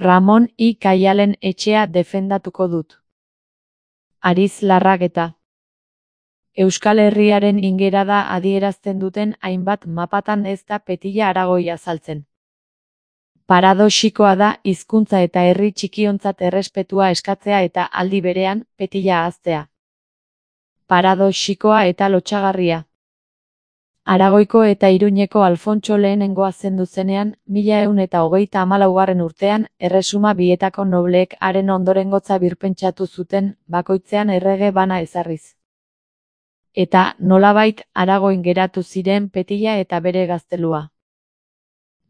Ramon I. Kaialen etxea defendatuko dut. Ariz Larrageta. Euskal Herriaren ingerada adierazten duten hainbat mapatan ez da Petilla Aragoi azaltzen. Paradoxikoa da hizkuntza eta herri txikiontzat errespetua eskatzea eta aldi berean Petilla ahaztea. Paradoxikoa eta lotsagarria. Aragoiko eta Iruñeko Alfontso lehenengoa zendu zenean, 1134 urtean, Erresuma bietako nobleek haren ondorengotza birpentsatu zuten, bakoitzean errege bana ezarriz. Eta, nolabait, Aragoin geratu ziren Petilla eta bere gaztelua.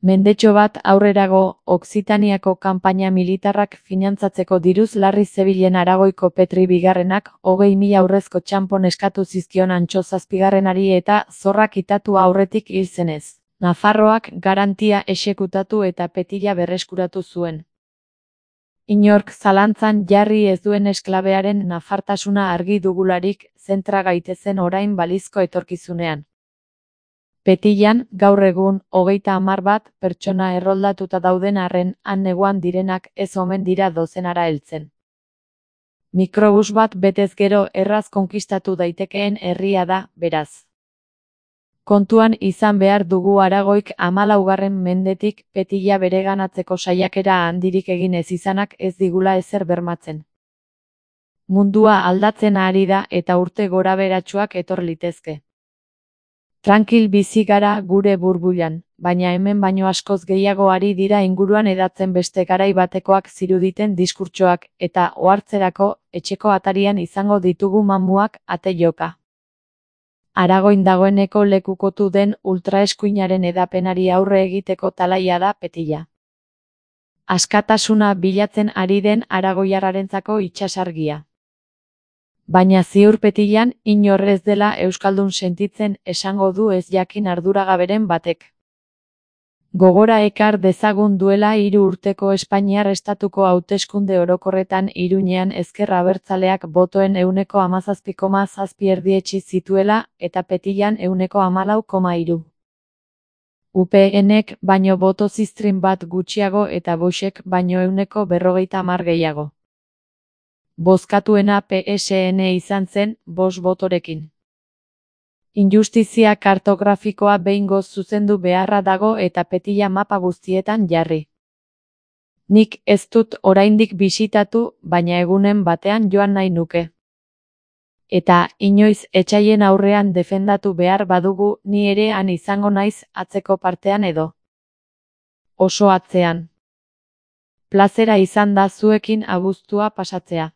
Mendetxo bat aurrerago, Okzitaniako kanpaina militarrak finantzatzeko diruz larri zebilen Aragoiko Petri bigarrenak 20.000 aurrezko txanpon eskatu zizkion Antso zazpigarrenari eta zorrak kitatu aurretik hil zenez. Nafarroak garantia exekutatu eta Petilla berreskuratu zuen. Inork zalantzan jarri ez duen esklabearen nafartasuna argi dugularik, zentra gaitezen orain balizko etorkizunean. Petillan, gaur egun, 31 pertsona erroldatuta dauden arren, han neguan direnak ez omen dira dozenara heltzen. Mikrobus bat betez gero erraz konkistatu daitekeen herria da, beraz. Kontuan izan behar dugu Aragoik 14. mendetik Petilla bereganatzeko saiakera handirik egin ez izanak ez digula ezer bermatzen. Mundua aldatzen ari da eta urte goraberatsuak etor litezke. Trankil bizi gara gure burbuilan, baina hemen baino askoz gehiago ari dira inguruan edatzen beste garai batekoak ziruditen diskurtsoak, eta ohartzerako, etxeko atarian izango ditugu mamuak ate joka. Aragoin dagoeneko lekukotu den ultraeskuinaren edapenari aurre egiteko talaia da Petilla. Askatasuna bilatzen ari den aragoiarrarentzako itsasargia. Baina ziur Petillan inor ez dela euskaldun sentitzen esango du ez jakin arduragaberen batek. Gogora ekar dezagun duela 3 urteko Espainiar estatuko hauteskunde orokorretan Iruñean ezker abertzaleak botoen 17,7 erdietsi zituela eta Petillan 14,3. UPNek baino boto ziztrin bat gutxiago eta Voxek baino 50 gehiago. Bozkatuena PSN izan zen, 5 botorekin. Injustizia kartografikoa behingoz zuzendu beharra dago eta Petilla mapa guztietan jarri. Nik ez dut oraindik bisitatu, baina egunen batean joan nahi nuke. Eta, inoiz etsaien aurrean defendatu behar badugu, ni ere han izango naiz atzeko partean edo. Oso atzean. Plazera izan da zuekin abuztua pasatzea.